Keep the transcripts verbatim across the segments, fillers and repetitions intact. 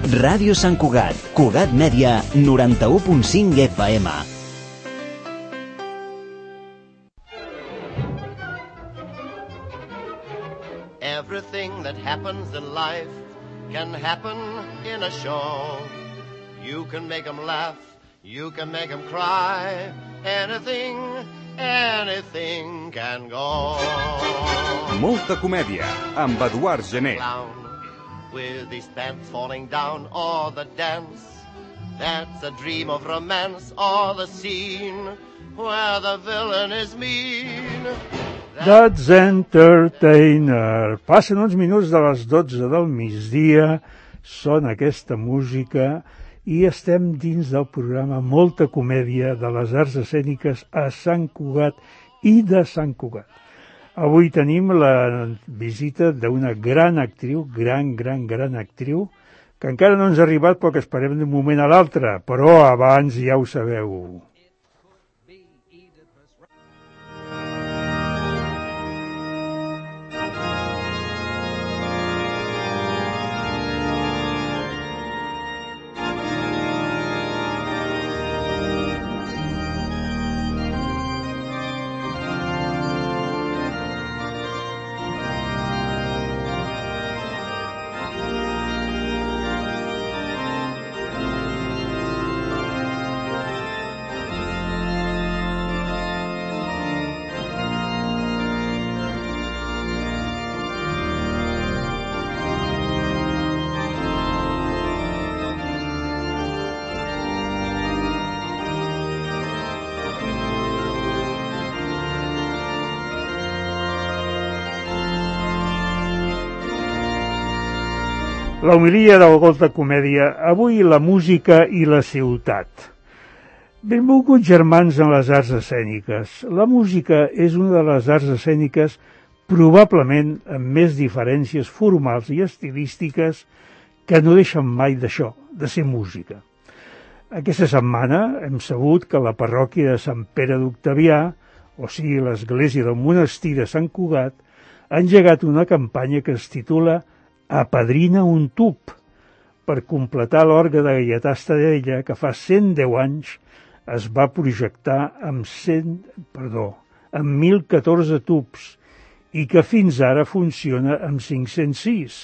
Ràdio Sant Cugat, Cugat Mèdia, noranta-u punt cinc F M. Everything that happens in life can happen in a show. You can make them laugh, you can make them cry. Anything, anything can go. Molta comèdia, amb Eduard Gené. Clown with his pants falling down, or the dance that's a dream of romance, or the scene where the villain is mean. That's Entertainer. Passen uns minuts de les dotze del migdia, sona aquesta música i estem dins del programa Molta Comèdia de les Arts Escèniques a Sant Cugat i de Sant Cugat. Avui tenim la visita d'una gran actriu, gran, gran, gran actriu, que encara no ens ha arribat però que esperem d'un moment a l'altre, però abans ja ho sabeu. La homilia de la Molta Comèdia, avui la música i la ciutat. Benvolguts germans en les arts escèniques. La música és una de les arts escèniques probablement amb més diferències formals i estilístiques que no deixen mai d'això, de ser música. Aquesta setmana hem sabut que la parròquia de Sant Pere d'Octavià, o sigui l'església del monestir de Sant Cugat, ha engegat una campanya que es titula Apadrina un tub, per completar l'orgue de Gaietà Estadella, que fa cent deu anys es va projectar amb, cent, perdó, amb mil catorze tubs i que fins ara funciona amb cinc-cents sis,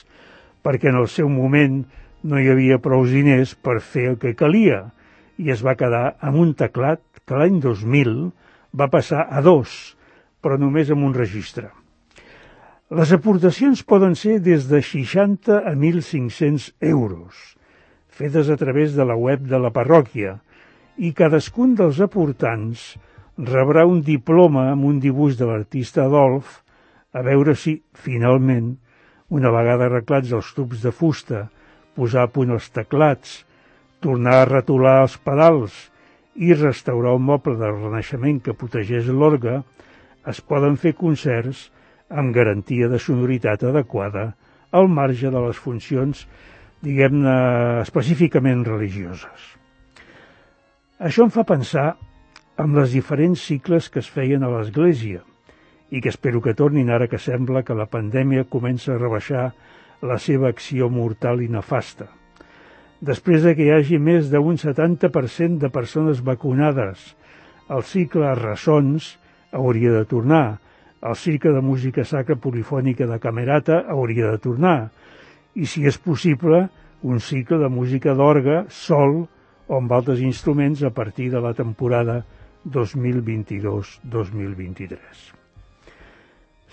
perquè en el seu moment no hi havia prou diners per fer el que calia i es va quedar amb un teclat que l'any dos mil va passar a dos, però només amb un registre. Les aportacions poden ser des de seixanta a mil cinc-cents euros, fetes a través de la web de la parròquia, i cadascun dels aportants rebrà un diploma amb un dibuix de l'artista Adolf, a veure si, finalment, una vegada arreglats els tubs de fusta, posar a punt els teclats, tornar a retolar els pedals i restaurar el moble del Renaixement que protegeix l'orgue, es poden fer concerts amb garantia de sonoritat adequada al marge de les funcions, diguem-ne, específicament religioses. Això em fa pensar en les diferents cicles que es feien a l'Església i que espero que tornin ara que sembla que la pandèmia comença a rebaixar la seva acció mortal i nefasta. Després de que hi hagi més d'un setanta per cent de persones vacunades, el cicle Ressons hauria de tornar. El cicle de música sacra polifònica de Camerata hauria de tornar. I, si és possible, un cicle de música d'orgue sol o amb altres instruments a partir de la temporada dos mil vint-i-dos dos mil vint-i-tres.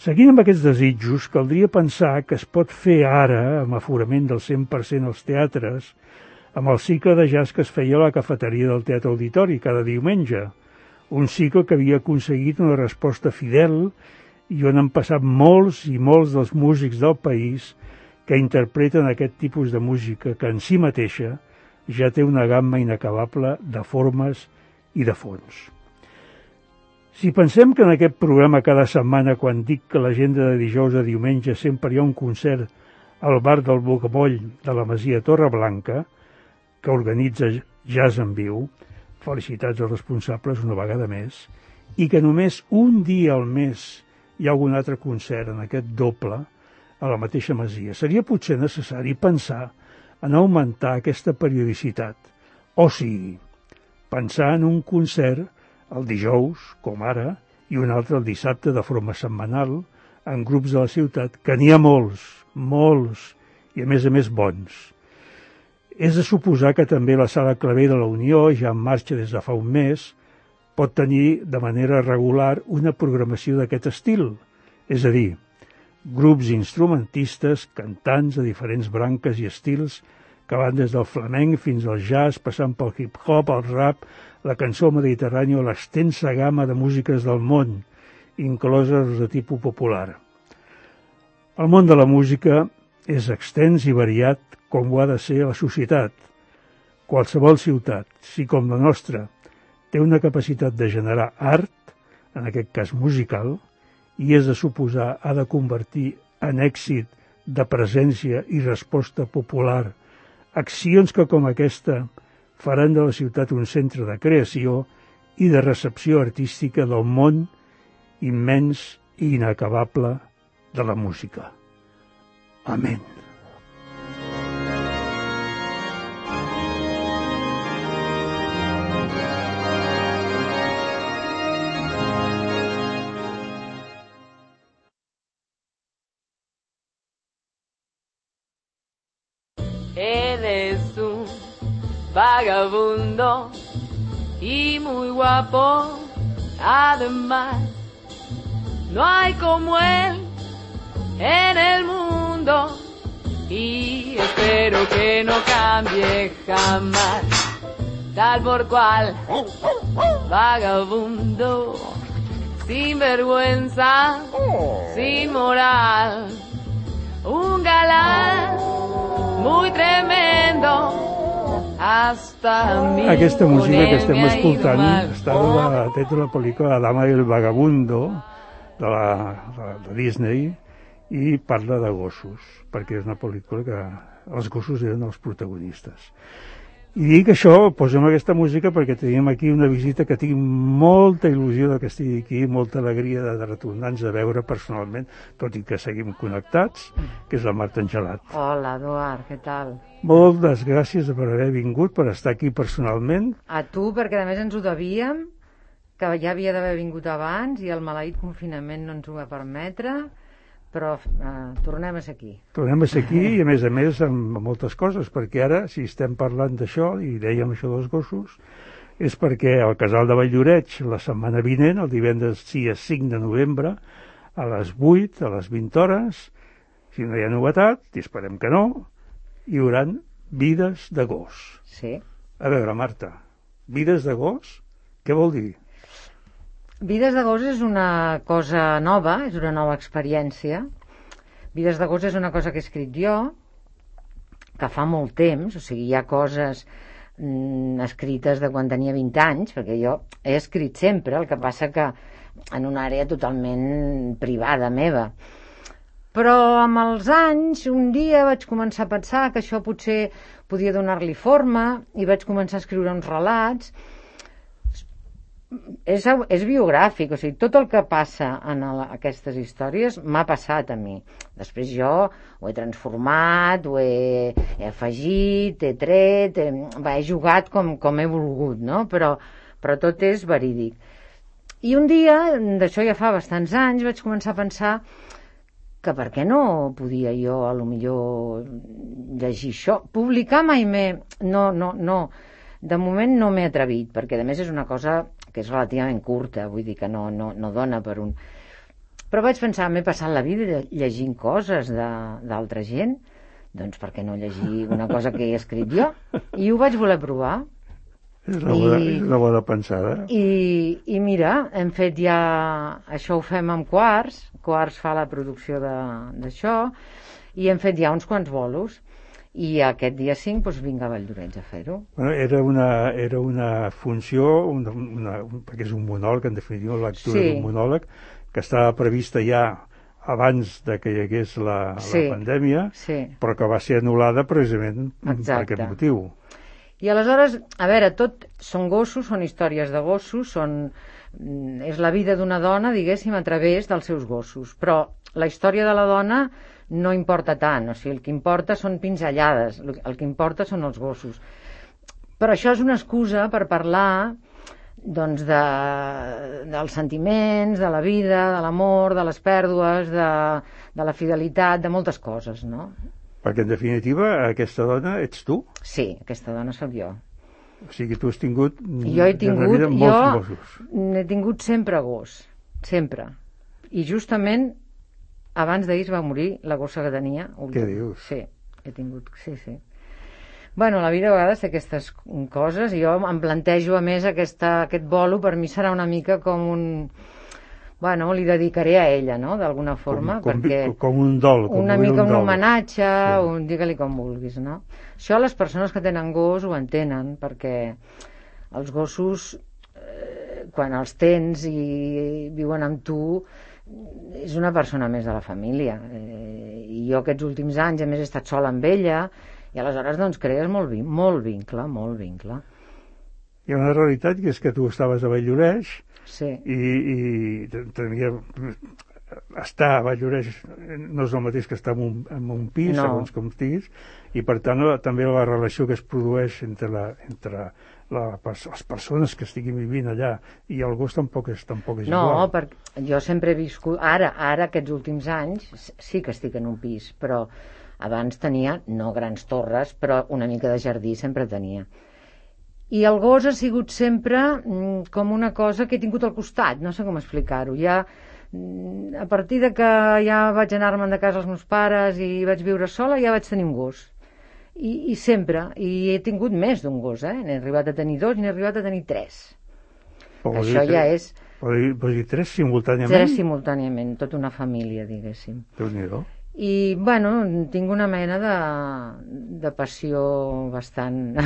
Seguint amb aquests desitjos, caldria pensar que es pot fer ara, amb aforament del cent per cent als teatres, amb el cicle de jazz que es feia a la cafeteria del Teatre Auditori cada diumenge, un cicle que havia aconseguit una resposta fidel i on han passat molts i molts dels músics del país que interpreten aquest tipus de música que en si mateixa ja té una gamma inacabable de formes i de fons. Si pensem que en aquest programa cada setmana, quan dic que l'agenda de dijous a diumenge sempre hi ha un concert al bar del Bocamoll de la Masia Torreblanca, que organitza Jazz en Viu, felicitats als responsables una vegada més, i que només un dia al mes hi ha algun altre concert en aquest doble a la mateixa masia. Seria potser necessari pensar en augmentar aquesta periodicitat. O sigui, pensar en un concert el dijous, com ara, i un altre el dissabte de forma setmanal, en grups de la ciutat, que n'hi ha molts, molts, i a més a més bons. És de suposar que també la Sala Clavé de la Unió, ja en marxa des de fa un mes, pot tenir de manera regular una programació d'aquest estil, és a dir, grups instrumentistes, cantants de diferents branques i estils que van des del flamenc fins al jazz, passant pel hip-hop, el rap, la cançó mediterrània o l'extensa gamma de músiques del món, incloses de tipus popular. El món de la música és extens i variat com ho ha de ser la societat. Qualsevol ciutat, si com la nostra, té una capacitat de generar art, en aquest cas musical, i és de suposar ha de convertir en èxit de presència i resposta popular accions que com aquesta faran de la ciutat un centre de creació i de recepció artística del món immens i inacabable de la música. Amén. Él es un vagabundo y muy guapo, además. No hay como él en el mundo y espero que no cambie jamás. Tal por cual, vagabundo, sin vergüenza, sin moral, un galán muy tremendo. Aquesta música que estem escoltant està de la, de la pel·lícula La dama i el vagabundo de, la, de Disney i parla de gossos, perquè és una pel·lícula que els gossos eren els protagonistes. I dic això, posem aquesta música perquè tenim aquí una visita que tinc molta il·lusió de que estigui aquí, molta alegria de, de retornar-nos a veure personalment, tot i que seguim connectats, que és la Marta Angelat. Hola, Eduard, què tal? Moltes gràcies per haver vingut, per estar aquí personalment. A tu, perquè a més ens ho devíem, que ja havia d'haver vingut abans i el maleït confinament no ens ho va permetre, però eh, tornem a ser aquí. Tornem a ser aquí i a més a més amb moltes coses, perquè ara, si estem parlant d'això, i dèiem això dels gossos, és perquè al Casal de Valldoreix, la setmana vinent, el divendres dia cinc de novembre, a les vuit, a les vint hores, si no hi ha novetat, i esperem que no, hi haurà Vides de gos. Sí. A veure, Marta, Vides de gos, què vol dir? Vides de gos és una cosa nova, és una nova experiència. Vides de gos és una cosa que he escrit jo, que fa molt temps, o sigui, hi ha coses mm, escrites de quan tenia vint anys, perquè jo he escrit sempre, el que passa que en una àrea totalment privada meva. Però amb els anys, un dia vaig començar a pensar que això potser podia donar-li forma i vaig començar a escriure uns relats. És, és biogràfic, o sigui, tot el que passa en el, aquestes històries m'ha passat a mi. Després jo ho he transformat, ho he, he afegit, he tret, he, va, he jugat com, com he volgut, no? Però, però tot és verídic. I un dia, d'això ja fa bastants anys, vaig començar a pensar que per què no podia jo, a lo millor, llegir això. Publicar mai m'he... No, no, no. De moment no m'he atrevit, perquè a més és una cosa que és relativament curta, vull dir que no, no, no dona per un... Però vaig pensar, m'he passat la vida llegint coses d'altra gent, doncs per què no llegir una cosa que he escrit jo? I ho vaig voler provar. És una bona, I, és una bona pensada. I, I mira, hem fet ja... Això ho fem amb Quarts, Quarts fa la producció d'això, i hem fet ja uns quants bolos. I aquest dia cinc doncs, vinc a Valldoreix a fer-ho. Bueno, era, una, era una funció, una, una, perquè és un monòleg, en definitiva, la lectura sí. d'un monòleg, que estava prevista ja abans de que hi hagués la, sí. la pandèmia, sí. però que va ser anul·lada precisament Exacte. per aquest motiu. I aleshores, a veure, tot són gossos, són històries de gossos, són, és la vida d'una dona, diguéssim, a través dels seus gossos. Però la història de la dona no importa tant, o sigui, el que importa són pinzellades, el que importa són els gossos. Però això és una excusa per parlar doncs de, dels sentiments, de la vida, de l'amor, de les pèrdues, de, de la fidelitat, de moltes coses, no? Perquè, en definitiva, aquesta dona ets tu. Sí, aquesta dona sóc jo. O sigui, tu has tingut... Jo he tingut, molts jo gossos. he tingut sempre gos, sempre. I justament abans d'ahir es va morir la gossa que tenia. Què dius? Sí, he tingut, sí, sí. Bueno, la vida a vegades té aquestes coses i jo em plantejo, a més, aquesta, aquest bolo per mi serà una mica com un... Bueno, li dedicaré a ella, no?, d'alguna forma, com, com, perquè... Com un dol. Com una mica un, un homenatge, sí. un, digue-li com vulguis, no? Això les persones que tenen gos ho entenen, perquè els gossos, eh, quan els tens i viuen amb tu, és una persona més de la família. Eh, I jo aquests últims anys, a més, he estat sola amb ella, i aleshores, doncs, crees molt, molt vincle, molt vincle. Hi ha una realitat que és que tu estaves a Valldoreix, sí. i, i tenia... estar a Valldoreix no és el mateix que estar en un, en un pis, no. segons com estiguis, i per tant també la relació que es produeix entre, la, entre la, les persones que estiguin vivint allà i el gos tampoc és, tampoc és no, igual. No, perquè jo sempre he viscut... Ara, ara, aquests últims anys, sí que estic en un pis, però abans tenia, no grans torres, però una mica de jardí sempre tenia. I el gos ha sigut sempre mm, com una cosa que he tingut al costat, no sé com explicar-ho. Ja, mm, a partir de que ja vaig anar-me'n de casa als meus pares i vaig viure sola, ja vaig tenir un gos. I, i sempre, i he tingut més d'un gos, eh? N'he arribat a tenir dos i n'he arribat a tenir tres. Però això ja és... Vols dir, vols dir tres simultàniament? Tres simultàniament, tota una família, diguéssim. Déu-n'hi-do. I, bueno, tinc una mena de, de passió bastant...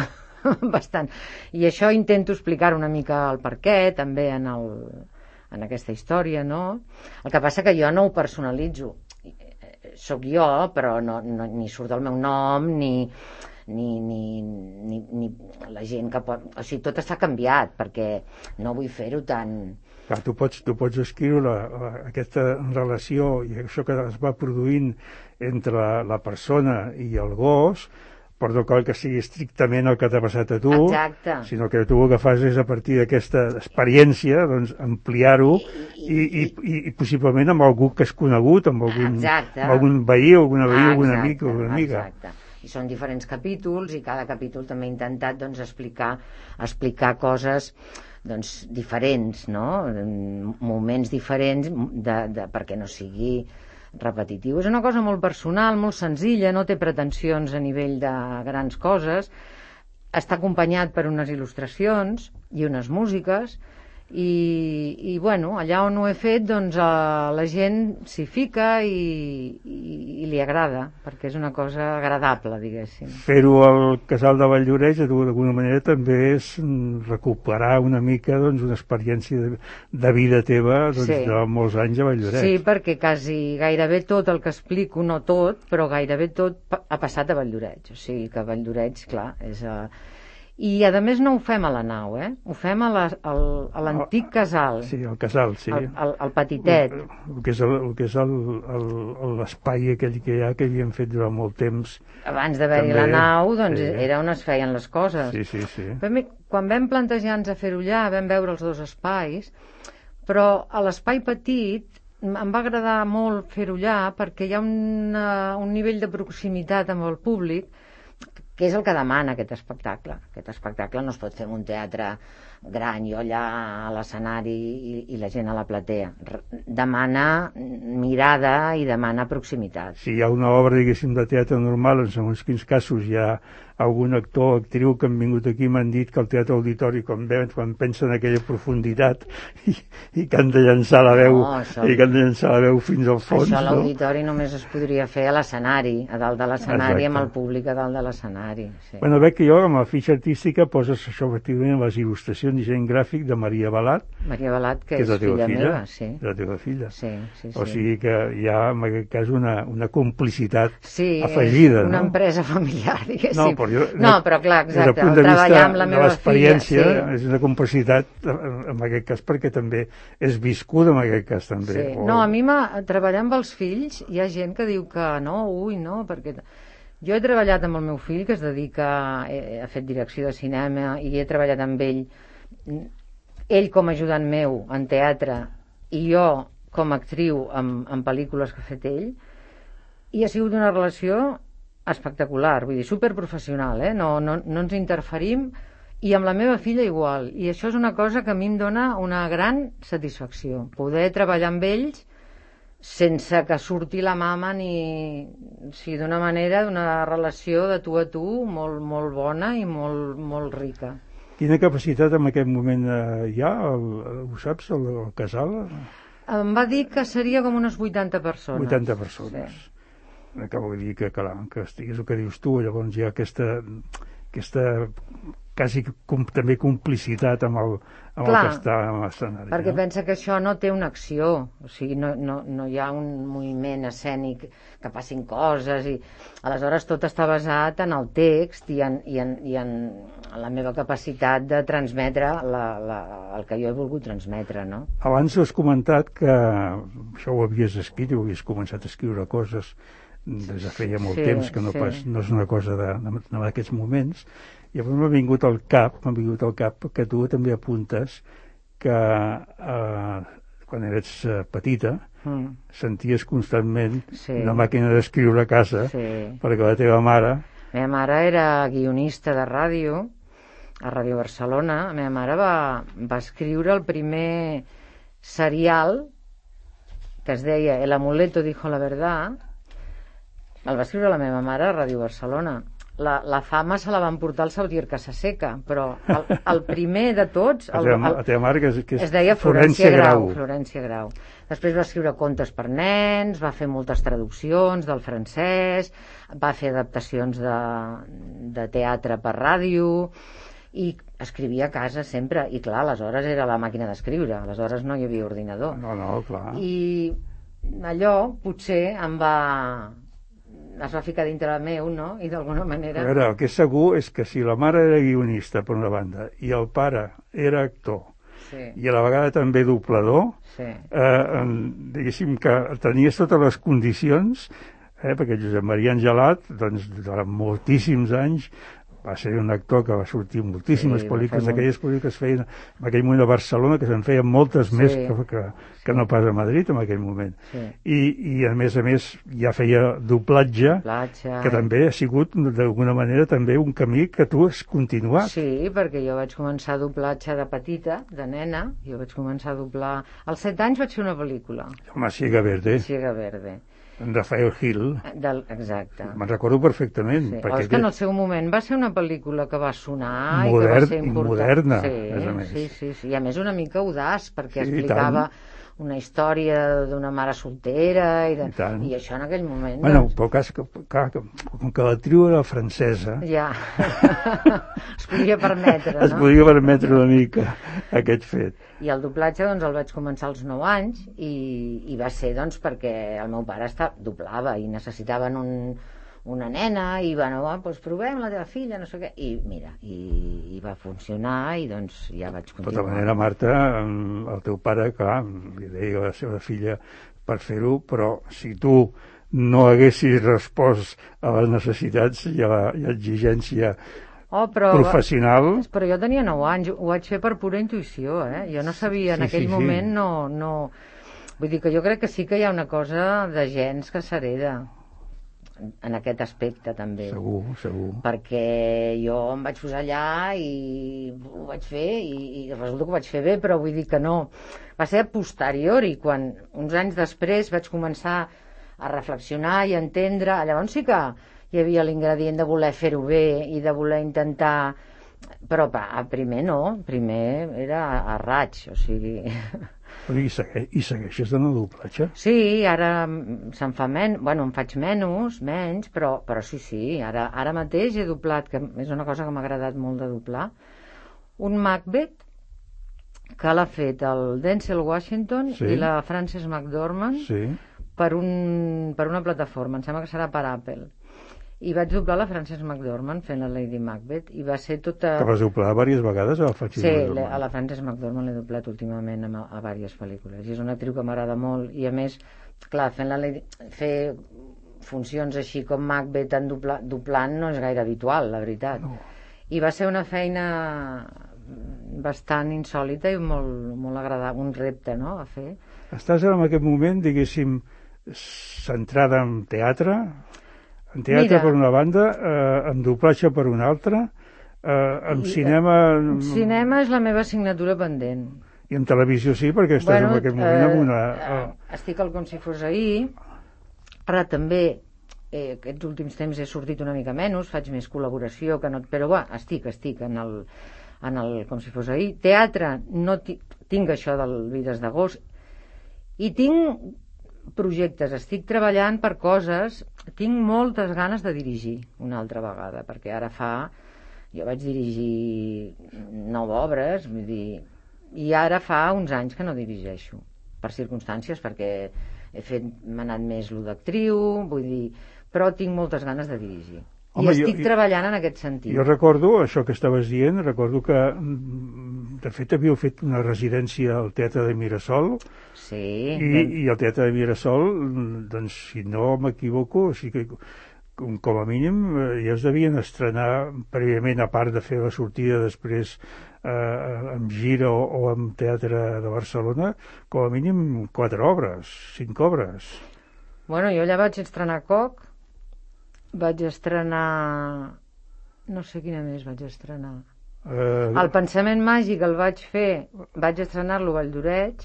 bastant. I això intento explicar una mica el perquè, també en, el, en aquesta història, no? El que passa que jo no ho personalitzo. Soc jo, però no, no, ni surt el meu nom, ni, ni, ni, ni, ni la gent que pot... O sigui, tot està canviat, perquè no vull fer-ho tan... Clar, tu pots, tu pots escriure la, la, aquesta relació i això que es va produint entre la, la persona i el gos, però no cal que sigui estrictament el que t'ha passat a tu, exacte. Sinó que tu el que fas és, a partir d'aquesta experiència, doncs, ampliar-ho i, i, i, i possiblement amb algú que has conegut, amb algun, amb algun veí, alguna veí, algun amic o alguna amiga. Exacte. I són diferents capítols i cada capítol també he intentat doncs, explicar, explicar coses doncs, diferents, no? Moments diferents de, de, perquè no sigui repetitiu. És una cosa molt personal, molt senzilla, no té pretensions a nivell de grans coses, està acompanyat per unes il·lustracions i unes músiques i, i bueno, allà on ho he fet doncs eh, la gent s'hi fica i, i, i li agrada, perquè és una cosa agradable, diguéssim. Fer-ho al Casal de Valldoreix d'alguna manera també és recuperar una mica doncs, una experiència de, de vida teva doncs, sí. De molts anys a Valldoreix. Sí, perquè quasi gairebé tot el que explico, no tot, però gairebé tot ha passat a Valldoreix. O sigui que Valldoreix, clar, és... Uh... I a més no ho fem a la nau, eh? Ho fem a l'antic casal. Sí, al casal, sí. El, el, el petitet. El, el que és el, el que és l'espai aquell que hi ha, que havíem fet durant molt temps. Abans d'haver-hi la nau, doncs sí. Era on es feien les coses. Sí, sí, sí. Però quan vam plantejar-nos a fer-ho allà, vam veure els dos espais, però a l'espai petit em va agradar molt fer-ho allà perquè hi ha una, un nivell de proximitat amb el públic que és el que demana aquest espectacle. Aquest espectacle no es pot fer en un teatre gran, jo allà a l'escenari i, i la gent a la platea. Demana mirada i demana proximitat. Si hi ha una obra, diguéssim, de teatre normal, en segons quins casos hi ha algun actor o actriu que han vingut aquí i m'han dit que el teatre auditori, quan, veuen, quan pensen en aquella profunditat i, i que han de llançar la veu no, això... i que han de llançar la veu fins al fons. Això a l'auditori no? Només es podria fer a l'escenari, a dalt de l'escenari, amb el públic a dalt de l'escenari. Sí. Bueno, veig que jo amb la fitxa artística poses això efectivament les il·lustracions i disseny gràfic de Maria Balat. Maria Balat, que, que és, és filla, filla meva, sí. És la teva filla. Sí, sí, sí. O sigui que hi ha en aquest cas una, una complicitat sí, afegida. una no? empresa familiar, diguéssim. No, però Però jo, no, però clar, exacte, des del punt de treballar vista amb la de meva l'experiència, filla, sí. és una complicitat en aquest cas perquè també és viscuda en aquest cas també. Sí. O... No, a mi treballar amb els fills hi ha gent que diu que no, ui, no, perquè jo he treballat amb el meu fill que es dedica, ha fet direcció de cinema i he treballat amb ell, ell com a ajudant meu en teatre i jo com a actriu en, en pel·lícules que ha fet ell, i ha sigut una relació espectacular, vull dir, superprofessional, eh? no, no, no ens interferim, i amb la meva filla igual, i això és una cosa que a mi em dona una gran satisfacció, poder treballar amb ells sense que surti la mama ni... O sigui, d'una manera, d'una relació de tu a tu molt, molt bona i molt, molt rica. Quina capacitat en aquest moment eh, hi ha, el, ho saps, el, el casal? Em va dir que seria com unes vuitanta persones. vuitanta persones. Sí. Que vull dir que, clar, que estigués el que dius tu, llavors hi ha aquesta, aquesta quasi com, també complicitat amb el, amb clar, el que està en l'escenari. Perquè no? pensa que això no té una acció, o sigui, no, no, no hi ha un moviment escènic que passin coses, i aleshores tot està basat en el text i en, i en, i en la meva capacitat de transmetre la, la, el que jo he volgut transmetre, no? Abans has comentat que això ho havies escrit i ho havies començat a escriure coses des de feia molt sí, temps, que no, sí. pas, no és una cosa d'aquests moments, i llavors m'ha vingut al cap, m'ha vingut al cap que tu també apuntes que eh, quan eres eh, petita mm. senties constantment sí. una màquina d'escriure a casa sí. perquè la teva mare... La meva mare era guionista de ràdio a Ràdio Barcelona. La meva mare va, va escriure el primer serial que es deia El amuleto dijo la verdad. El va escriure la meva mare a Ràdio Barcelona. La, la fama se la van portar el Xavier Casaseca, però el, el primer de tots... El, la, teva, el, la teva mare, que és, que és es deia Florència, Florència Grau, Grau. Florència Grau. Després va escriure contes per nens, va fer moltes traduccions del francès, va fer adaptacions de, de teatre per ràdio, i escrivia a casa sempre. I clar, aleshores era la màquina d'escriure, aleshores no hi havia ordinador. No, no, clar. I allò potser em va... es va ficar dintre la meu, no? I d'alguna manera... A veure, el que és segur és que si la mare era guionista, per una banda, i el pare era actor, sí. i a la vegada també doblador, sí. eh, diguéssim que tenies totes les condicions, eh, perquè Josep Maria Angelat, doncs, durant moltíssims anys, va ser un actor que va sortir moltíssimes sí, pel·lícules, aquelles pel·lícules que es feien en aquell moment a Barcelona, que se'n feien moltes sí. més que, que, que no pas a Madrid en aquell moment. Sí. I, I a més a més ja feia doblatge, doblatge que també ha sigut d'alguna manera també un camí que tu has continuat. Sí, perquè jo vaig començar a doblatge de petita, de nena, jo vaig començar a doblar... Als set anys vaig fer una pel·lícula. Home, Siega Verde. Siega Verde. En Rafael Gil. Del, exacte. Me'n recordo perfectament. Sí. Perquè és que en el seu moment va ser una pel·lícula que va sonar modern, i que va ser important. I moderna, sí, més a més. Sí, sí, sí. I a més una mica audaç, perquè sí, explicava una història d'una mare soltera i, de, I, i això en aquell moment... Bueno, doncs... però cas, que, clar, com que l'actriu era francesa... Ja, es podia permetre, no? Es podia permetre una mica aquest fet. I el doblatge doncs el vaig començar als nou anys i, i va ser doncs perquè el meu pare està, doblava i necessitaven un, una nena i bueno, ah, doncs provem la teva filla, no sé què, i mira, i, i va funcionar i doncs ja vaig continuar. De tota manera, Marta, el teu pare, clar, li deia a la seva filla per fer-ho, però si tu no haguessis respost a les necessitats i a l'exigència Oh, però, professional... Però jo tenia nou anys, ho vaig fer per pura intuïció, eh? Jo no sabia, en sí, aquell sí, moment sí. no, no... Vull dir que jo crec que sí que hi ha una cosa de gens que s'hereda en aquest aspecte també. Segur, segur. Perquè jo em vaig posar allà i ho vaig fer i, i resulta que ho vaig fer bé, però vull dir que no. Va ser a posteriori, quan uns anys després vaig començar a reflexionar i a entendre, llavors sí que hi havia l'ingredient de voler fer-ho bé i de voler intentar, però a primer no, primer era a, a raig, o sigui... Però i, segueix, i segueixes en el doblatge? Sí, ara se'n fa menys, bueno, em faig menys, menys, però, però sí, sí, ara, ara mateix he doblat, que és una cosa que m'ha agradat molt de doblar, un Macbeth que l'ha fet el Denzel Washington sí. i la Frances McDormand sí. per, un, per una plataforma, em sembla que serà per Apple. i vaig doblar la Frances McDormand fent la Lady Macbeth, i va ser tota... Que vas doblar diverses vegades a la Frances sí, McDormand. Sí, a la Frances McDormand l'he doblat últimament a, a diverses pel·lícules, i és una actriu que m'agrada molt, i a més, clar, fent la Lady... fer funcions així com Macbeth en dobla... doblant no és gaire habitual, la veritat. No. I va ser una feina bastant insòlita i molt, molt agradable, un repte, no?, a fer. Estàs en aquest moment, diguéssim, centrada en teatre... En teatre Mira, per una banda, eh, en doblatge per una altra, eh, en i, cinema... En cinema és la meva assignatura pendent. I en televisió sí, perquè estàs bueno, en aquest moment eh, amb una... Eh, estic al Com si fos ahir, ara també, eh, aquests últims temps he sortit una mica menys, faig més col·laboració, que no, però va, estic, estic en el, en el Com si fos ahir. Teatre, no tinc això del Vides d'agost, i tinc projectes, estic treballant per coses, tinc moltes ganes de dirigir una altra vegada, perquè ara fa, jo vaig dirigir nou obres, vull dir, i ara fa uns anys que no dirigeixo, per circumstàncies, perquè he fet, m'ha anat més lo d'actriu, vull dir, però tinc moltes ganes de dirigir. Home, I estic jo, treballant en aquest sentit. Jo recordo, això que estaves dient, recordo que, de fet, havíeu fet una residència al Teatre de Mirasol, sí, i, ben... i el Teatre de Mirasol, doncs, si no m'equivoco, o sigui que, com, com a mínim, ja es devien estrenar prèviament, a part de fer la sortida després eh, amb gira o, o amb Teatre de Barcelona, com a mínim quatre obres, cinc obres. Bueno, jo allà vaig estrenar Coc, vaig estrenar... no sé quina més vaig estrenar. Uh... El Pensament Màgic el vaig fer, vaig estrenar-lo a Valldoreix.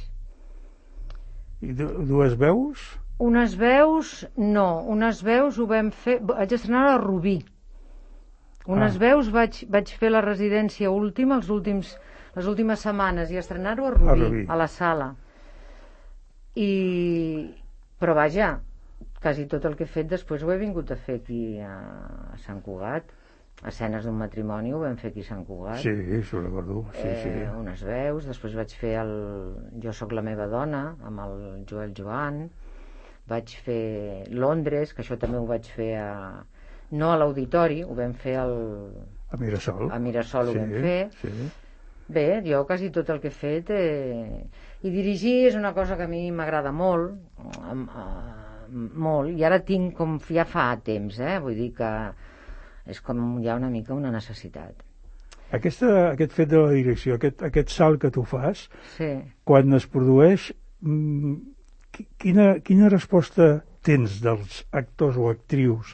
I dues veus? Unes veus, no. Unes veus ho vam fer... Vaig estrenar a Rubí. Unes ah. veus vaig, vaig fer la residència última, els últims, les últimes setmanes, i estrenar-ho a Rubí, a Rubí, a la sala. I... Però vaja, quasi tot el que he fet després ho he vingut a fer aquí a, a Sant Cugat. Escenes d'un matrimoni ho vam fer aquí a Sant Cugat. Sí, això ho recordo. Sí, eh, sí. Unes veus, després vaig fer el Jo soc la meva dona amb el Joel Joan, vaig fer Londres, que això també ho vaig fer a... no a l'Auditori, ho vam fer al... a Mirasol. A Mirasol ho sí, vam fer. Sí. Bé, jo quasi tot el que he fet eh... i dirigir és una cosa que a mi m'agrada molt, eh, molt, i ara tinc com ja fa temps, eh? Vull dir que és com ja una mica una necessitat. Aquesta, aquest fet de la direcció, aquest, aquest salt que tu fas, sí. Quan es produeix, quina, quina resposta tens dels actors o actrius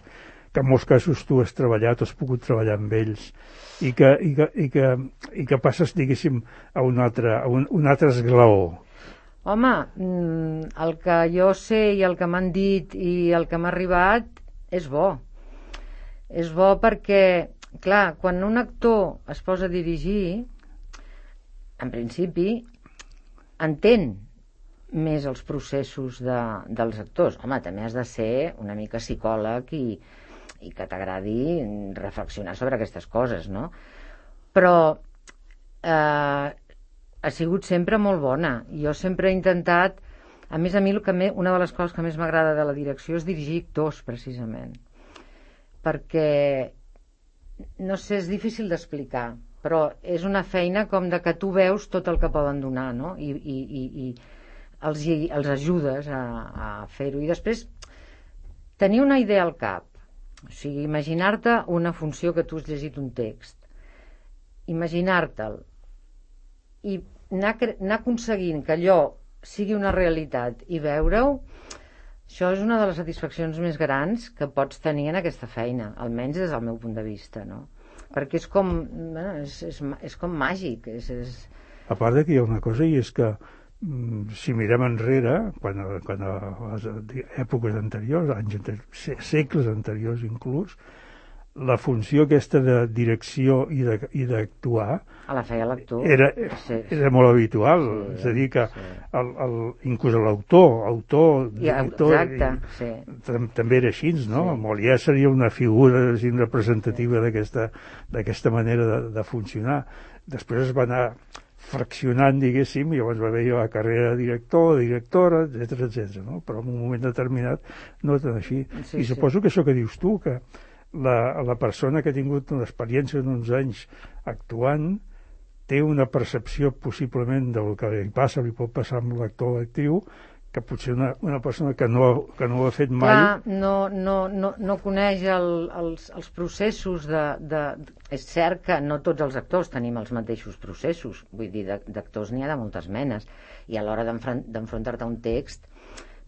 que en molts casos tu has treballat o has pogut treballar amb ells i que, i que, i que, i que passes, diguéssim, a un altre, a un, un altre esglaó? Home, el que jo sé i el que m'han dit i el que m'ha arribat és bo. És bo perquè, clar, quan un actor es posa a dirigir, en principi, entén més els processos de, dels actors. Home, també has de ser una mica psicòleg i, i que t'agradi reflexionar sobre aquestes coses, no? Però eh, ha sigut sempre molt bona. Jo sempre he intentat, a més a mi el que me, una de les coses que més m'agrada de la direcció és dirigir actors, precisament. Perquè, no sé, és difícil d'explicar, però és una feina com de que tu veus tot el que poden donar, no? I, i, i, i els, els ajudes a, a fer-ho. I després, tenir una idea al cap, o sigui, imaginar-te una funció que tu has llegit un text, imaginar-te'l, i anar, anar aconseguint que allò sigui una realitat i veure-ho, això és una de les satisfaccions més grans que pots tenir en aquesta feina, almenys des del meu punt de vista, no? Perquè és com, bueno, és, és, és com màgic. És, és... A part de que hi ha una cosa, i és que si mirem enrere, quan, quan a les èpoques anteriors, anys anteriors, segles anteriors inclús, la funció aquesta de direcció i d'actuar a la feia l'actor era, sí, era molt habitual, sí, és a dir que sí. el, el, inclús l'autor autor, ja, director exacte, i, sí. també era així, no? Sí. Molière seria una figura així, representativa sí. d'aquesta manera de, de funcionar. Després es va anar fraccionant, diguéssim, i llavors va haver la carrera de director, directora, etcètera, etcètera, no? Però en un moment determinat no tan així. Sí, i suposo sí. que això que dius tu, que la, la persona que ha tingut una experiència d'uns anys actuant té una percepció possiblement del que li passa, li pot passar amb l'actor o l'actriu, que potser una, una persona que no, que no ho ha fet mai... Clar, no, no, no, no coneix el, els, els processos de, de... És cert que no tots els actors tenim els mateixos processos, vull dir, d'actors n'hi ha de moltes menes, i a l'hora d'enfrontar-te a un text,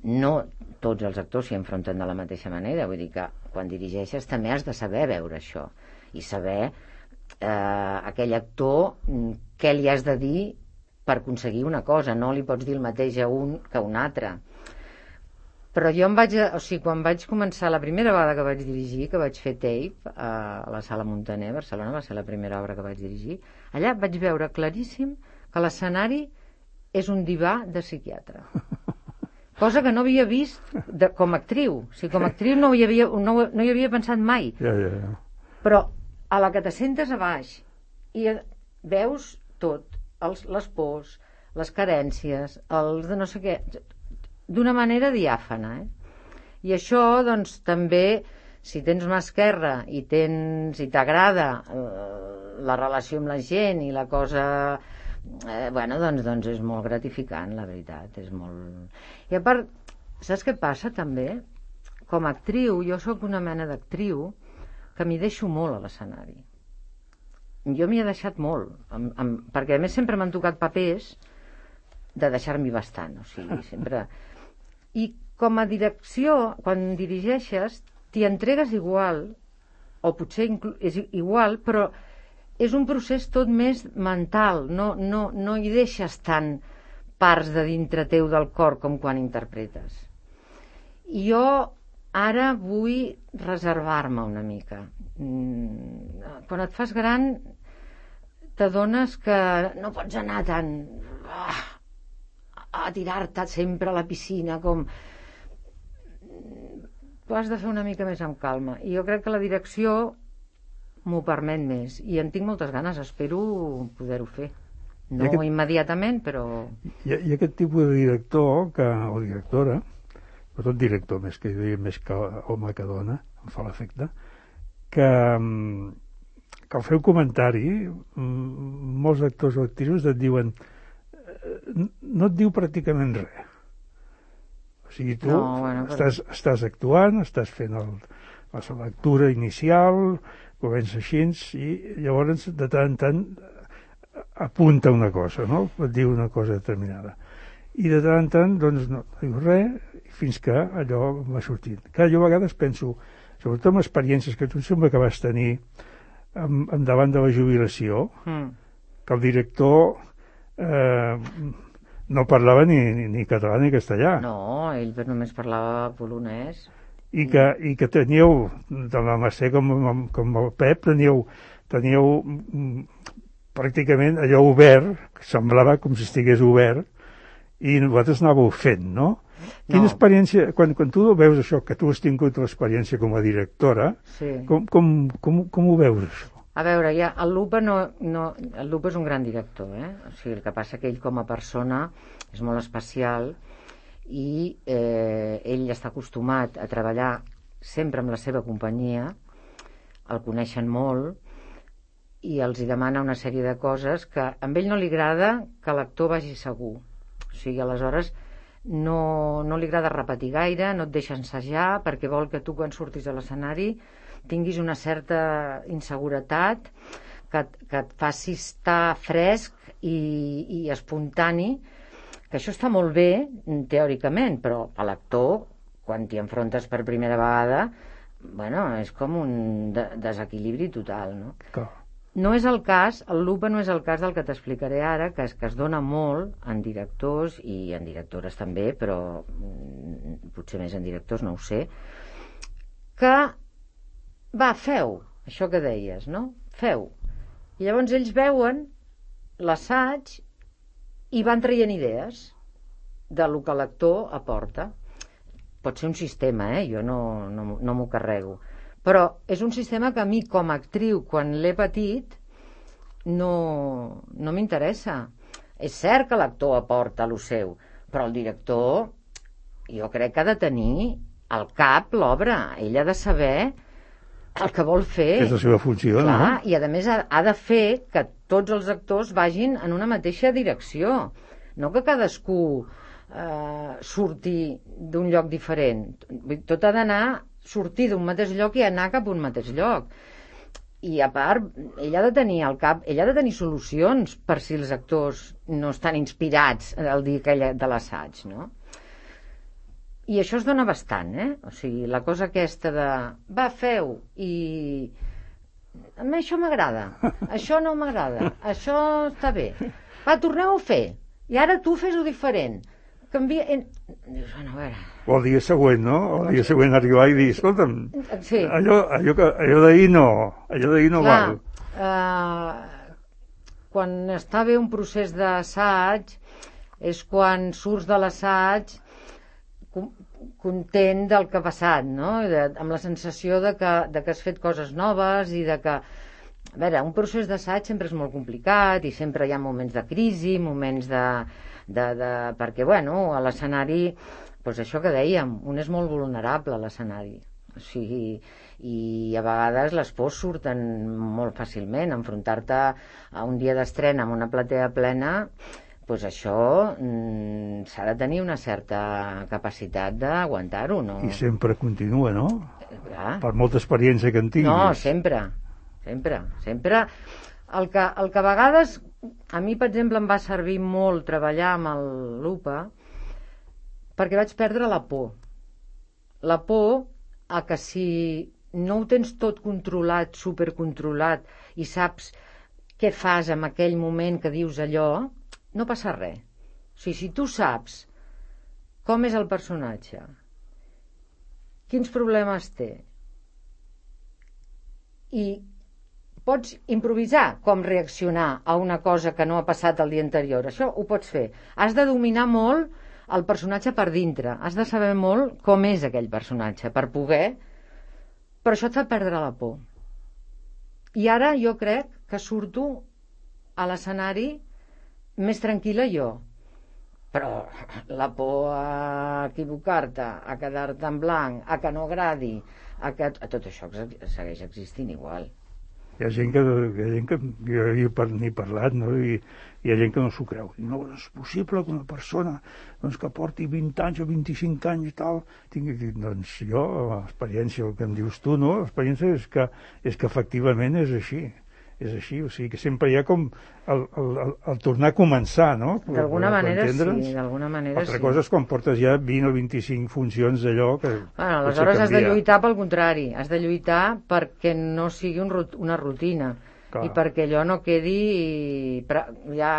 no tots els actors s'hi enfronten de la mateixa manera, vull dir que quan dirigeixes també has de saber veure això, i saber eh, aquell actor què li has de dir per aconseguir una cosa, no li pots dir el mateix a un que a un altre. Però jo em vaig, o sigui, quan vaig començar, la primera vegada que vaig dirigir, que vaig fer tape a la Sala Muntaner, Barcelona, va ser la primera obra que vaig dirigir, allà vaig veure claríssim que l'escenari és un divà de psiquiatre. Cosa que no havia vist de, com a actriu. O sigui, com a actriu no hi havia, no, no hi havia pensat mai. Ja, ja, ja. Però a la que t'assentes a baix i veus tot, els, les pors, les carències, els de no sé què, d'una manera diàfana, eh? I això, doncs, també, si tens mà esquerra i tens, si t'agrada eh, la relació amb la gent i la cosa, eh, bueno, doncs, doncs és molt gratificant, la veritat, és molt... I a part, saps què passa, també? Com a actriu, jo sóc una mena d'actriu que m'hi deixo molt a l'escenari. Jo m'hi he deixat molt, amb, amb, perquè a més sempre m'han tocat papers de deixar-m'hi bastant, o sigui, sempre... I com a direcció, quan dirigeixes, t'hi entregues igual, o potser és igual, però és un procés tot més mental, no, no, no hi deixes tant parts de dintre teu del cor com quan interpretes. I jo ara vull reservar-me una mica. Quan et fas gran t'adones que no pots anar tan ah, a tirar-te sempre a la piscina com... Tu has de fer una mica més amb calma, i jo crec que la direcció m'ho permet més, i en tinc moltes ganes, espero poder-ho fer. No aquest... immediatament, però... Hi ha, hi ha aquest tipus de director que, o directora, però tot director més que, més que home que dona, em fa l'efecte, que, que al fer un comentari molts actors o actrius et diuen no et diu pràcticament res, o sigui, tu no, bueno, però... estàs, estàs actuant, estàs fent el, la lectura inicial, comença així, i llavors de tant en tant apunta una cosa, no? Et diu una cosa determinada, i de tant en tant doncs no, no diu res, fins que allò va sortint. Clar, jo a vegades penso, sobretot amb experiències que tu sembla que vas tenir en, en davant de la jubilació, mm. que el director eh, no parlava ni, ni, ni català ni castellà. No, ell només parlava polonès. I que, i que teníeu, tant la Mercè com, com el Pep, teníeu, teníeu pràcticament allò obert, que semblava com si estigués obert, i vosaltres anàveu fent, no? Quina no. experiència, quan, quan tu veus això, que tu has tingut l'experiència com a directora, sí. com, com, com, com ho veus, això? A veure, ja, el Lupa, no, no, el Lupa és un gran director, eh? O sigui, el que passa que ell com a persona és molt especial i eh, ell està acostumat a treballar sempre amb la seva companyia, el coneixen molt i els hi demana una sèrie de coses que a ell no li agrada que l'actor vagi segur. O sigui, aleshores no, no li agrada repetir gaire, no et deixa ensajar perquè vol que tu quan surtis a l'escenari tinguis una certa inseguretat que, que et faci estar fresc i, i espontani, que això està molt bé teòricament, però a l'actor quan t'hi enfrontes per primera vegada, bueno, és com un de desequilibri total, no? Clar. No és el cas, el Lupa no és el cas del que t'explicaré ara, que es, que es dona molt en directors i en directores també, però potser més en directors, no ho sé, que va, feu, això que deies, no? Feu. I llavors ells veuen l'assaig i van traient idees de lo que l'actor aporta. Pot ser un sistema, eh? Jo no, no, no m'ho carrego. Però és un sistema que a mi, com a actriu, quan l'he patit, no, no m'interessa. És cert que l'actor aporta lo seu, però el director, jo crec que ha de tenir al cap l'obra. Ell ha de saber el que vol fer. És la seva funció, clar, no? I a més ha, ha de fer que tots els actors vagin en una mateixa direcció, no que cadascú eh, surti d'un lloc diferent. Tot ha d'anar, sortir d'un mateix lloc i anar cap a un mateix lloc. I a part, ell ha de tenir al cap, ell ha de tenir solucions per si els actors no estan inspirats el dia aquell de l'assaig, no? I això es dona bastant, eh? O sigui, la cosa aquesta de va, feu, i a mi això m'agrada, això no m'agrada, això està bé, va, torneu a fer, i ara tu fes-ho diferent, canvia... Dius, bueno, a veure... O el dia següent, no? O el dia següent arribar i dir, escolta'm, sí. allò, allò, que, allò d'ahir no, allò d'ahir no clar, val. Uh, quan està bé un procés d'assaig és quan surts de l'assaig content del que ha passat, no? De, amb la sensació de que, de que has fet coses noves i de que... A veure, un procés d'assaig sempre és molt complicat i sempre hi ha moments de crisi, moments de... de, de perquè, bueno, a l'escenari, doncs això que dèiem, un és molt vulnerable a l'escenari. O sigui, i a vegades les pors surten molt fàcilment. Enfrontar-te a un dia d'estrena amb una platea plena, doncs això mm, s'ha de tenir una certa capacitat d'aguantar-ho, no? I sempre continua, no? Clar. Per molta experiència que en tinguis. No, sempre, sempre, sempre. El que, el que a vegades, a mi, per exemple, em va servir molt treballar amb el Lupa perquè vaig perdre la por. La por a que si no ho tens tot controlat, supercontrolat, i saps què fas en aquell moment que dius allò, no passa res. O sigui, si tu saps com és el personatge, quins problemes té, i pots improvisar com reaccionar a una cosa que no ha passat el dia anterior, això ho pots fer. Has de dominar molt el personatge per dintre, has de saber molt com és aquell personatge per poder, però això et fa perdre la por. I ara jo crec que surto a l'escenari més tranquil·la jo, però la por a equivocar-te, a quedar-te en blanc, a que no agradi, a, que, a tot això segueix existint igual. Hi ha gent que, hi ha gent que jo n'he parlat, no? I hi ha gent que no s'ho creu. No, no és possible que una persona doncs, que porti vint anys o vint-i-cinc anys i tal, tingui... Doncs jo, l'experiència, el que em dius tu, no? L'experiència és que, és que efectivament és així. És així, o sigui que sempre hi ha com el, el, el, el tornar a començar, no? D'alguna manera sí, d'alguna manera Altra sí. cosa és quan portes ja vint o vint-i-cinc funcions d'allò que... Bueno, aleshores has de lluitar pel contrari, has de lluitar perquè no sigui un, una rutina. Clar. I perquè allò no quedi ja,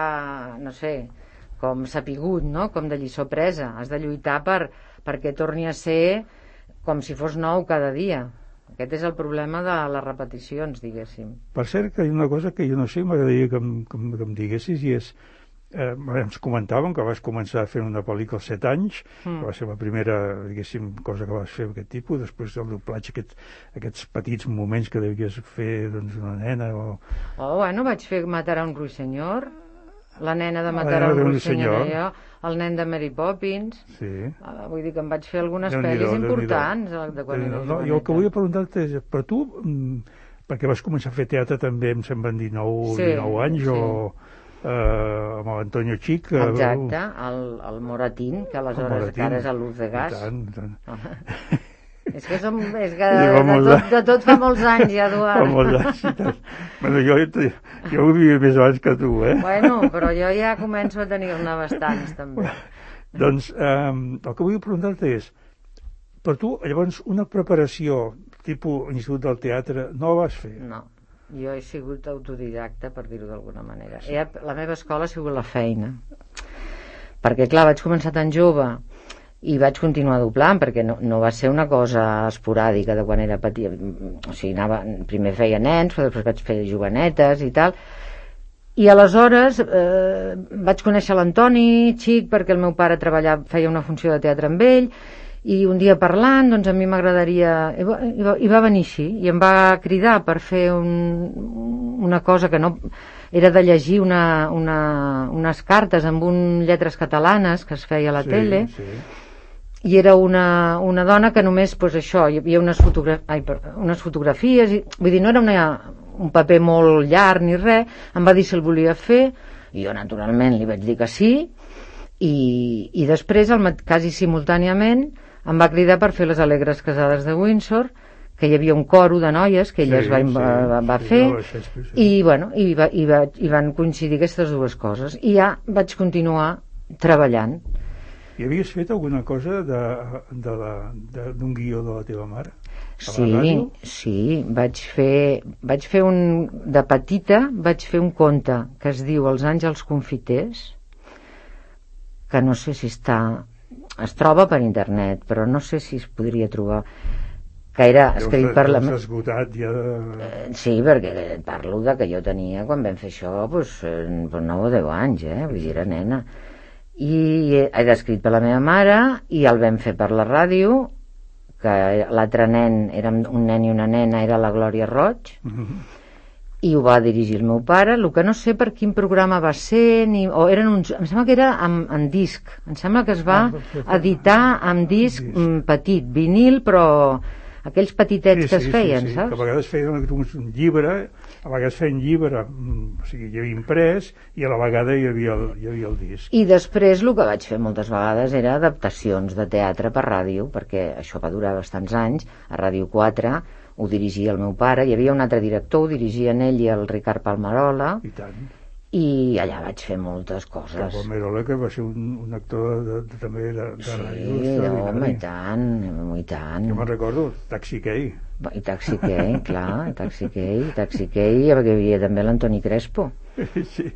no sé, com sapigut, no? Com de lliçó presa. Has de lluitar per, perquè torni a ser com si fos nou cada dia. Aquest és el problema de les repeticions, diguéssim. Per cert, que hi ha una cosa que jo no sé, m'agradaria que, que, que em diguessis, i és, eh, ens comentàvem que vas començar fent una pel·lícula als set anys, mm. que va ser la primera, diguéssim, cosa que vas fer d'aquest tipus, després del doblatge, aquest, aquests petits moments que devies fer, doncs, una nena o... Oh, bueno, vaig fer Matar a un ruixenyor, la nena de Matar a un ruixenyor, jo, el nen de Mary Poppins, sí. uh, vull dir que em vaig fer algunes pel·lis importants de quan era no, jo el que volia preguntar-te és, per tu, perquè vas començar a fer teatre també, em semblen dinou, sí, dinou anys, sí. o eh, amb l'Antonio Chic. Exacte, el, el Moratín, que aleshores encara és a Luz de Gas. I tant, i tant. És que, som, és que de, de, tot, de tot fa molts anys, ja, Eduard. Fa molts anys, i tant. Bueno, jo, jo ho vivia més abans que tu, eh? Bueno, però jo ja començo a tenir-ne bastants, també. Doncs, eh, el que vull preguntar-te és, per tu, llavors, una preparació tipus Institut del Teatre, no la vas fer? No, jo he sigut autodidacta, per dir-ho d'alguna manera. Sí. La meva escola ha sigut la feina. Perquè, clar, vaig començar tan jove i vaig continuar doblant, perquè no, no va ser una cosa esporàdica de quan era petit. O sigui, anava, primer feia nens, però després vaig fer jovenetes i tal. I aleshores eh, vaig conèixer l'Antoni Xic, perquè el meu pare treballava, feia una funció de teatre amb ell, i un dia parlant, doncs a mi m'agradaria... I va, i, va, I va venir així, i em va cridar per fer un, una cosa que no... Era de llegir una, una, unes cartes amb un lletres catalanes que es feia a la sí, tele, sí. i era una, una dona que només, pues, això, hi havia unes, fotogra ai, unes fotografies, i, vull dir, no era una, un paper molt llarg ni res, em va dir si el volia fer, i jo naturalment li vaig dir que sí, i, i després, el, quasi simultàniament, em va cridar per fer les Alegres Casades de Windsor, que hi havia un coro de noies que ella sí, es va, sí, va, va sí, fer, no, sí, sí. i, bueno, i, va, i, va, i van coincidir aquestes dues coses, i ja vaig continuar treballant. I havies fet alguna cosa d'un guió de la teva mare? Sí, sí, vaig fer, vaig fer un, de petita, vaig fer un conte que es diu Els àngels confiters, que no sé si està, es troba per internet, però no sé si es podria trobar, que era escrit per la... esgotat ja de... Sí, perquè parlo de que jo tenia, quan vam fer això, doncs, nou o deu anys, eh? Vull dir, era nena. I era escrit per la meva mare, i el vam fer per la ràdio, que l'altre nen, érem un nen i una nena, era la Glòria Roig, uh-huh. i ho va dirigir el meu pare. El que no sé per quin programa va ser, ni, o eren uns, em sembla que era en, en disc, em sembla que es va editar en disc petit, vinil, però aquells petitets sí, que es feien, sí, sí, saps? Que a vegades feien un llibre, a vegades feien llibre, o sigui, hi havia imprès, i a la vegada hi havia el, hi havia el disc. I després el que vaig fer moltes vegades era adaptacions de teatre per ràdio, perquè això va durar bastants anys, a Ràdio quatre ho dirigia el meu pare, hi havia un altre director, ho dirigien ell i el Ricard Palmerola, i tant. I allà vaig fer moltes coses. Que Palmerola, que va ser un, un actor de, de, també de, de sí, ràdio. Sí, home, i tant, i tant. Jo me'n recordo, Taxi Key. I Taxi Key, clar, Taxi Key, Taxi Key, perquè hi havia també l'Antoni Crespo. Sí,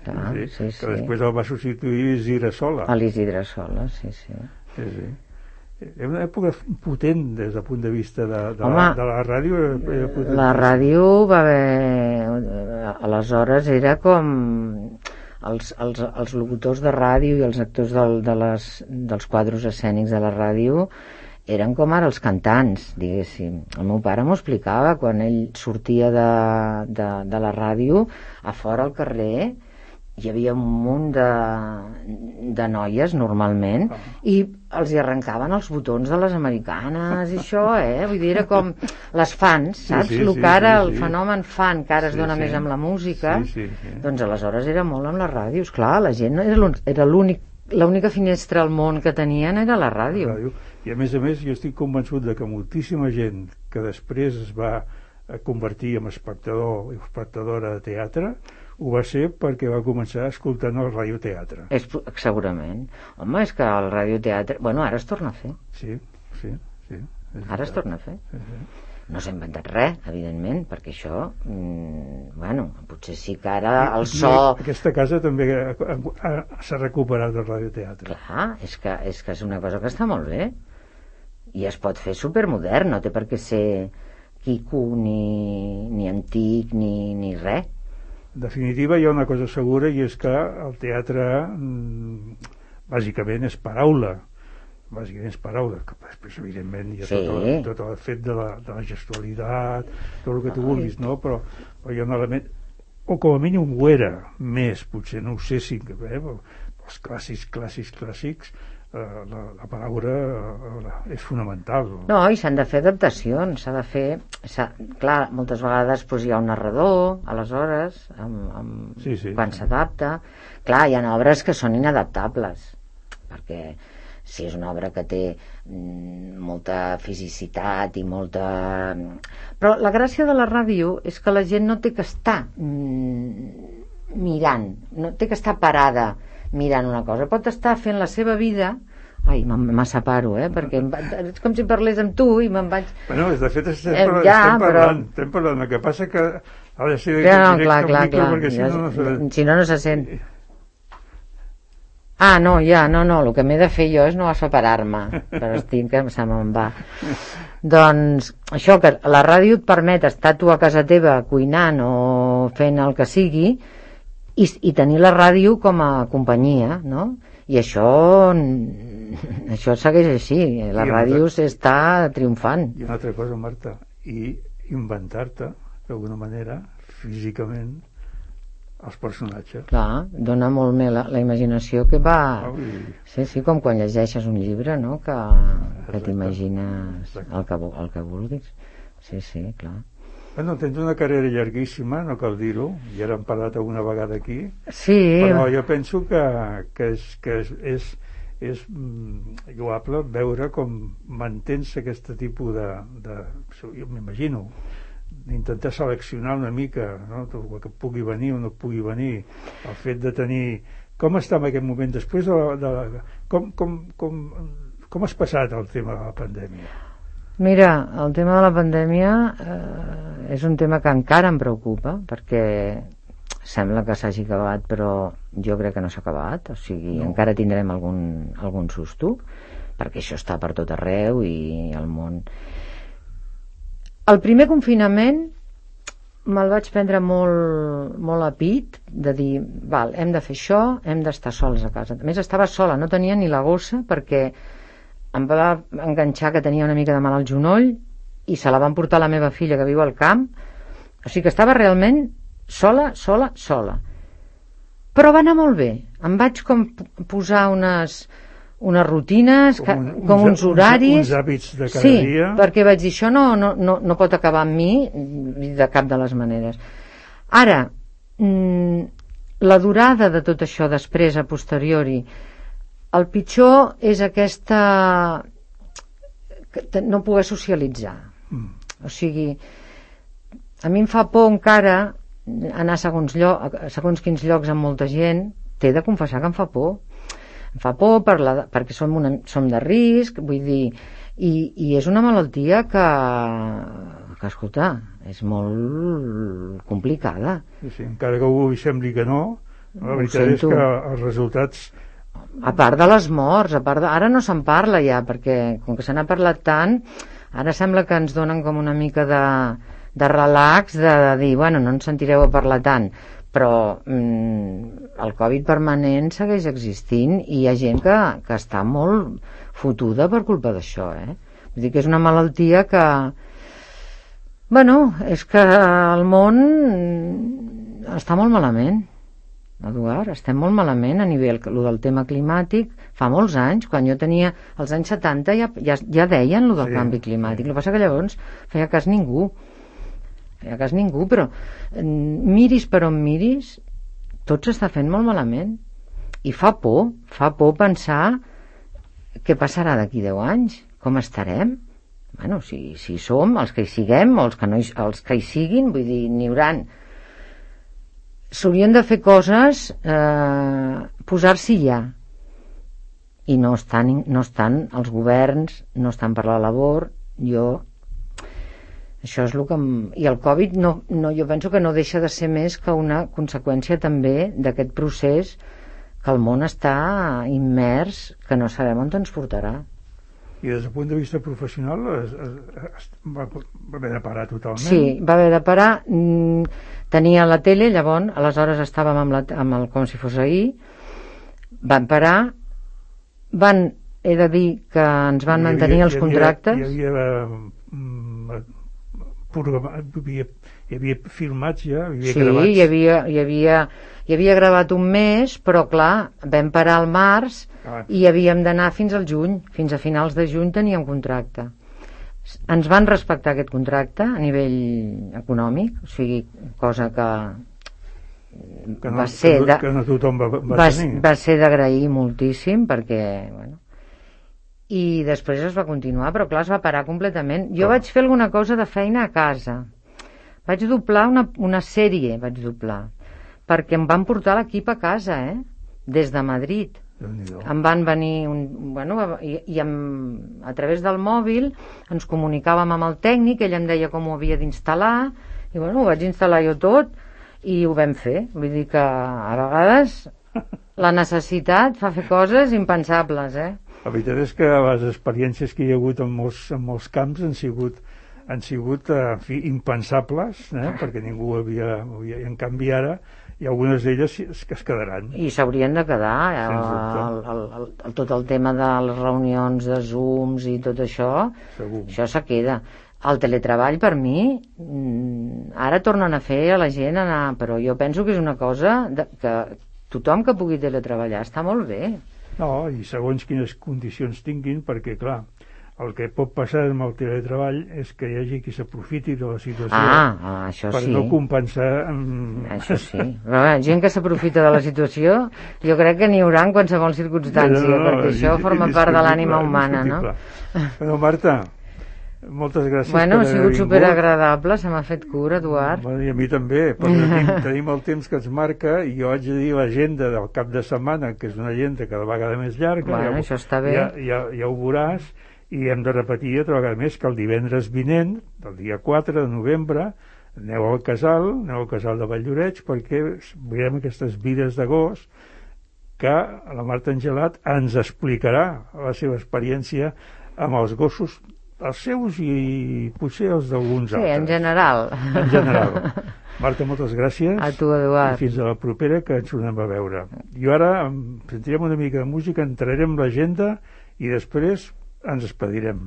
clar, sí, sí, sí. Que després el va substituir Isidre Sola. A l'Isidre Sola, sí, sí. Sí, sí. Era una època potent des del punt de vista de, de, Home, la, de la ràdio. La ràdio va haver... Aleshores era com... Els, els, els locutors de ràdio i els actors del, de les, dels quadros escènics de la ràdio eren com ara els cantants, diguéssim. El meu pare m'ho explicava quan ell sortia de, de, de la ràdio, a fora al carrer hi havia un munt de, de noies normalment, oh. i els hi arrencaven els botons de les americanes i això, eh? Vull dir, era com les fans, saps? Sí, sí, el que ara sí, sí, el fenomen fan, que ara es dona sí, més amb la música, sí, sí, sí. Doncs aleshores era molt amb la ràdio. Esclar, la gent era l'únic, l'única finestra al món que tenien era la ràdio. la ràdio. I a més a més jo estic convençut de que moltíssima gent que després es va convertir en espectador i espectadora de teatre ho va ser perquè va començar escoltant el radioteatre. És, segurament. Home, és que el radioteatre... Bueno, ara es torna a fer. Sí, sí, sí. Ara es torna a fer. Sí, sí. No s'ha inventat res, evidentment, perquè això... Mmm, bueno, potser sí que ara el so... Aquesta casa també s'ha recuperat del radioteatre. Clar, és que, és que és una cosa que està molt bé. I es pot fer supermodern, no té per què ser quico, ni, ni antic, ni, ni res. En definitiva, hi ha una cosa segura, i és que el teatre bàsicament és paraula, bàsicament és paraula, que després evidentment hi ha sí. tot, el, tot el fet de la, de la gestualitat, tot el que tu vulguis, no? Però, però hi ha un element, o com a mínim ho era més, potser no ho sé si eh, els clàssics, clàssics, clàssics, eh, la, la paraula eh, és fonamental. No, i s'han de fer adaptacions, s'ha de fer, clar, moltes vegades doncs, hi ha un narrador, aleshores, amb, amb, sí, sí, quan sí. s'adapta. Clar, hi ha obres que són inadaptables, perquè si és una obra que té mm, molta fisicitat i molta... Però la gràcia de la ràdio és que la gent no té que estar mm, mirant, no té que estar parada mirant una cosa, pot estar fent la seva vida. Ai, me separo, eh, perquè va... és com si parlés amb tu i me'n vaig... Bueno, de fet estem, eh, parlant, ja, estem parlant, però... estem parlant, el que passa que ha de ser ja, no, clar, clar, clar. Perquè si, ja, no, no se... si no, no se sent. Ah, no, ja, no, no, el que m'he de fer jo és no separar-me, però estic que se me'n va. Doncs això, que la ràdio et permet estar tu a casa teva cuinant o fent el que sigui i, i tenir la ràdio com a companyia, no? I això això segueix així, la ràdio s'està triomfant. I una altra cosa, Marta, i inventar-te d'alguna manera físicament els personatges. Clar, dona molt més la, la imaginació que va... Oh, i... Sí, sí, com quan llegeixes un llibre, no?, que, que t'imagines el que, el que vulguis. Sí, sí, clar. Bueno, tens una carrera llarguíssima, no cal dir-ho, i ara hem parlat alguna vegada aquí, sí. Però jo penso que, que és, que és, és, és mm, lloable veure com mantens aquest tipus de, de jo m'imagino, d'intentar seleccionar una mica, no?, el que pugui venir o no pugui venir, el fet de tenir... Com està en aquest moment, després de la... De la com, com, com, com has passat el tema de la pandèmia? Mira, el tema de la pandèmia eh, és un tema que encara em preocupa, perquè sembla que s'hagi acabat, però jo crec que no s'ha acabat, o sigui, no. Encara tindrem algun, algun susto, perquè això està per tot arreu i al món. El primer confinament me'l vaig prendre molt, molt a pit, de dir, val, hem de fer això, hem d'estar sols a casa. A més, estava sola, no tenia ni la gossa, perquè em va enganxar que tenia una mica de mal al genoll i se la van portar la meva filla que viu al camp, o sigui que estava realment sola, sola, sola, però va anar molt bé. Em vaig com posar unes, unes rutines, com, un, com uns horaris, uns, uns hàbits de cada sí, dia, perquè vaig dir, això no, no, no, no pot acabar amb mi de cap de les maneres. Ara, mmm, la durada de tot això després, a posteriori, el pitjor és aquesta... no poder socialitzar. Mm. O sigui, a mi em fa por encara anar a segons, lloc, a segons quins llocs amb molta gent. T'he de confessar que em fa por. Em fa por per la, perquè som, una, som de risc, vull dir... I, i és una malaltia que, que, escolta, és molt complicada. Sí, sí, encara que algú sembli que no, la veritat és que els resultats... A part de les morts, a part de... ara no se'n parla ja, perquè com que se n'ha parlat tant, ara sembla que ens donen com una mica de, de relax, de, de dir, bueno, no ens sentireu a parlar tant, però mm, el Covid permanent segueix existint i hi ha gent que, que està molt fotuda per culpa d'això, eh? Vull dir que és una malaltia que... Bueno, és que el món està molt malament. Eduard, estem molt malament a nivell lo del tema climàtic. Fa molts anys, quan jo tenia als anys setanta ja, ja, ja deien lo del sí, canvi climàtic, sí. El que passa que llavors feia cas ningú feia cas ningú però miris per on miris tot s'està fent molt malament i fa por, fa por pensar què passarà d'aquí deu anys, com estarem. Bueno, si, si som els que hi siguem o els que, no hi, els que hi siguin, vull dir, n'hi hauran. S'haurien de fer coses, eh, posar-s'hi ja, i no estan, no estan els governs, no estan per la labor. Jo això és el que em... i el Covid no, no, jo penso que no deixa de ser més que una conseqüència també d'aquest procés que el món està immers, que no sabem on ens portarà. I des del punt de vista professional es, es, es, va, va haver de parar totalment? Sí, va haver de parar. Tenia la tele, llavors, aleshores estàvem amb, la, amb el com si fos ahir, van parar, van, he de dir que ens van havia, mantenir els contractes. Hi havia, hi havia, programat, hi havia, hi havia filmats ja, hi havia sí, gravats. hi havia, hi havia, hi havia gravat un mes, però clar, vam parar al març ah. i havíem d'anar fins al juny, fins a finals de juny teníem contracte. Ens van respectar aquest contracte a nivell econòmic, o sigui, cosa que, que no, va ser que, de, que no tothom va, va, va, tenir. Va ser d'agrair moltíssim perquè, bueno, i després es va continuar, però clar, es va parar completament. Jo Clar. vaig fer alguna cosa de feina a casa, vaig doblar una, una sèrie, vaig doblar, perquè em van portar l'equip a casa, eh? Des de Madrid. Em van venir un, bueno, i, i amb, a través del mòbil ens comunicàvem amb el tècnic, ell em deia com ho havia d'instal·lar i bueno, ho vaig instal·lar jo tot i ho vam fer. Vull dir que a vegades la necessitat fa fer coses impensables, eh? La veritat és que les experiències que hi ha hagut en molts, en molts camps han sigut, han sigut en fi, impensables, eh? Perquè ningú havia, havia... En canvi ara i algunes d'elles que es quedaran. I s'haurien de quedar, eh? el, el, el, el, tot el tema de les reunions de Zooms i tot això, Segur. Això se queda. El teletreball, per mi, ara tornen a fer a la gent anar... Però jo penso que és una cosa de, que tothom que pugui teletreballar està molt bé. No, i segons quines condicions tinguin, perquè, clar, el que pot passar amb el teletreball és que hi hagi qui s'aprofiti de la situació ah, ah, això per sí. no compensar... Amb... Això sí. Però, bé, gent que s'aprofita de la situació, jo crec que n'hi haurà en qualsevol circumstància, no, no, no, perquè això forma part de l'ànima humana, no? Bueno, Marta, moltes gràcies bueno, per ha sigut superagradable, se m'ha fet cura, Eduard. Bueno, i a mi també, però tenim, tenim el temps que ens marca i jo haig de dir l'agenda del cap de setmana, que és una agenda cada vegada més llarga. Bueno, ja, això està bé. Ja, ja, ja ho veuràs, i hem de repetir altra vegada més que el divendres vinent, el dia quatre de novembre, aneu al casal, aneu al casal de Valldoreix, perquè veurem aquestes vides d'agost que la Marta Angelat ens explicarà la seva experiència amb els gossos, els seus i potser els d'alguns sí, altres. Sí, en general. En general. Marta, moltes gràcies. A tu, Eduard. I fins a la propera, que ens tornem a veure. I ara sentirem una mica de música, entrarem l'agenda i després ens despedirem.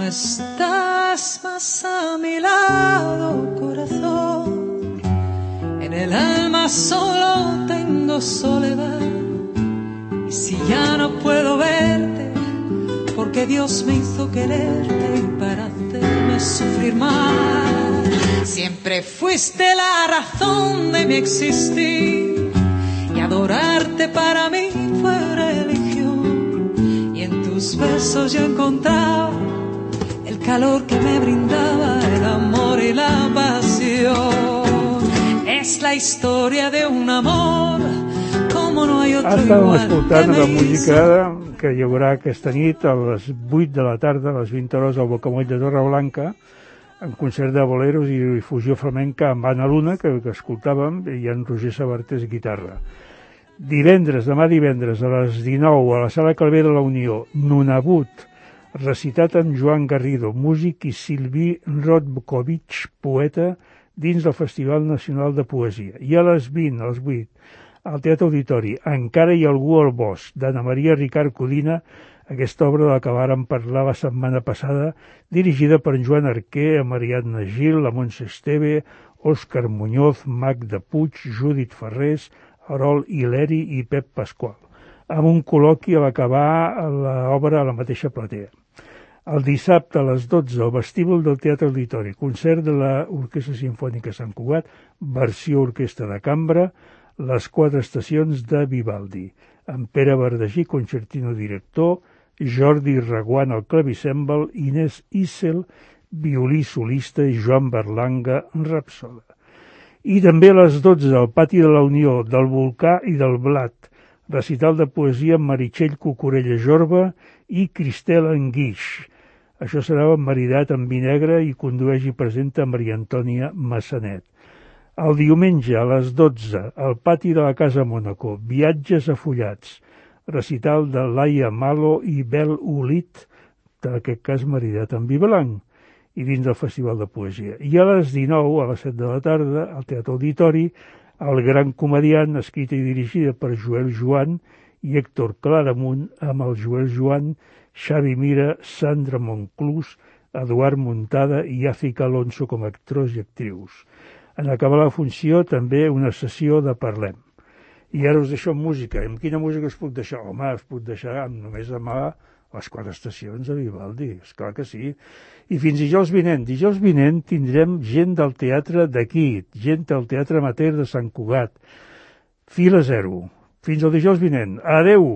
Estás más a mi lado, corazón. En el alma solo tengo soledad. Y si ya no puedo verte, porque Dios me hizo quererte y para hacerme sufrir más. Siempre fuiste la razón de mi existir. Y adorarte para mí fue religión. Y en tus besos yo encontraba el calor que me brindaba el amor y la pasión. Es la historia de un amor como no hay otro Estàvem igual. escoltant la música que hi haurà aquesta nit a les vuit de la tarda, a les vint hores al Bocamoll de Torreblanca, en concert de boleros i difusió flamenca amb Anna Luna, que, que escoltàvem, i en Roger Sabartés, guitarra. Divendres, demà divendres, a les dinou, a la Sala Calvé de la Unió, Nunavut, recitat amb Joan Garrido, músic, i Silví Rodkovich, poeta, dins del Festival Nacional de Poesia. I a les vint, a les vuit, al Teatre Auditori, Encara hi ha algú al bosc, d'Anna Maria Ricard Codina, aquesta obra de la que vàrem parlar la setmana passada, dirigida per Joan Arquer, Mariadna Gil, la Montse Esteve, Òscar Muñoz, Magda Puig, Judit Ferrés, Arol Hileri i Pep Pasqual, amb un col·loqui a l'acabar l'obra a la mateixa platea. El dissabte a les dotze, al vestíbul del Teatre Auditori, concert de l'Orquestra Simfònica Sant Cugat, versió orquestra de cambra, Les quatre estacions de Vivaldi, amb Pere Verdagí, concertino director, Jordi Reguant al clavicèmbal, Inés Issel, violí solista, i Joan Berlanga, rapsoda. I també a les dotze, al Pati de la Unió, del Volcà i del Blat, recital de poesia amb Meritxell Cucurella Jorba i Cristel Anguix. Això serà maridat amb vi negre i condueix i presenta Maria Antònia Massanet. El diumenge a les dotze, al Pati de la Casa Mònaco, Viatges afullats, recital de Laia Malo i Bel Ulit, en aquest cas maridat amb vi blanc, i dins del Festival de Poesia. I a les dinou, a les set de la tarda, al Teatre Auditori, El gran comediant, escrita i dirigida per Joel Joan i Héctor Claramunt, amb el Joel Joan, Xavi Mira, Sandra Monclús, Eduard Muntada i Àfica Alonso com a actors i actrius. En acabar la funció, també una sessió de Parlem. I ara us deixo amb música. Amb quina música us puc deixar? Home, us puc deixar amb només demà les quatre estacions de Vivaldi, esclar que sí. I fins dijous vinent. Dijous vinent tindrem gent del teatre d'aquí, gent del Teatre Amateur de Sant Cugat. Fila zero. Fins al dijous vinent. Adeu!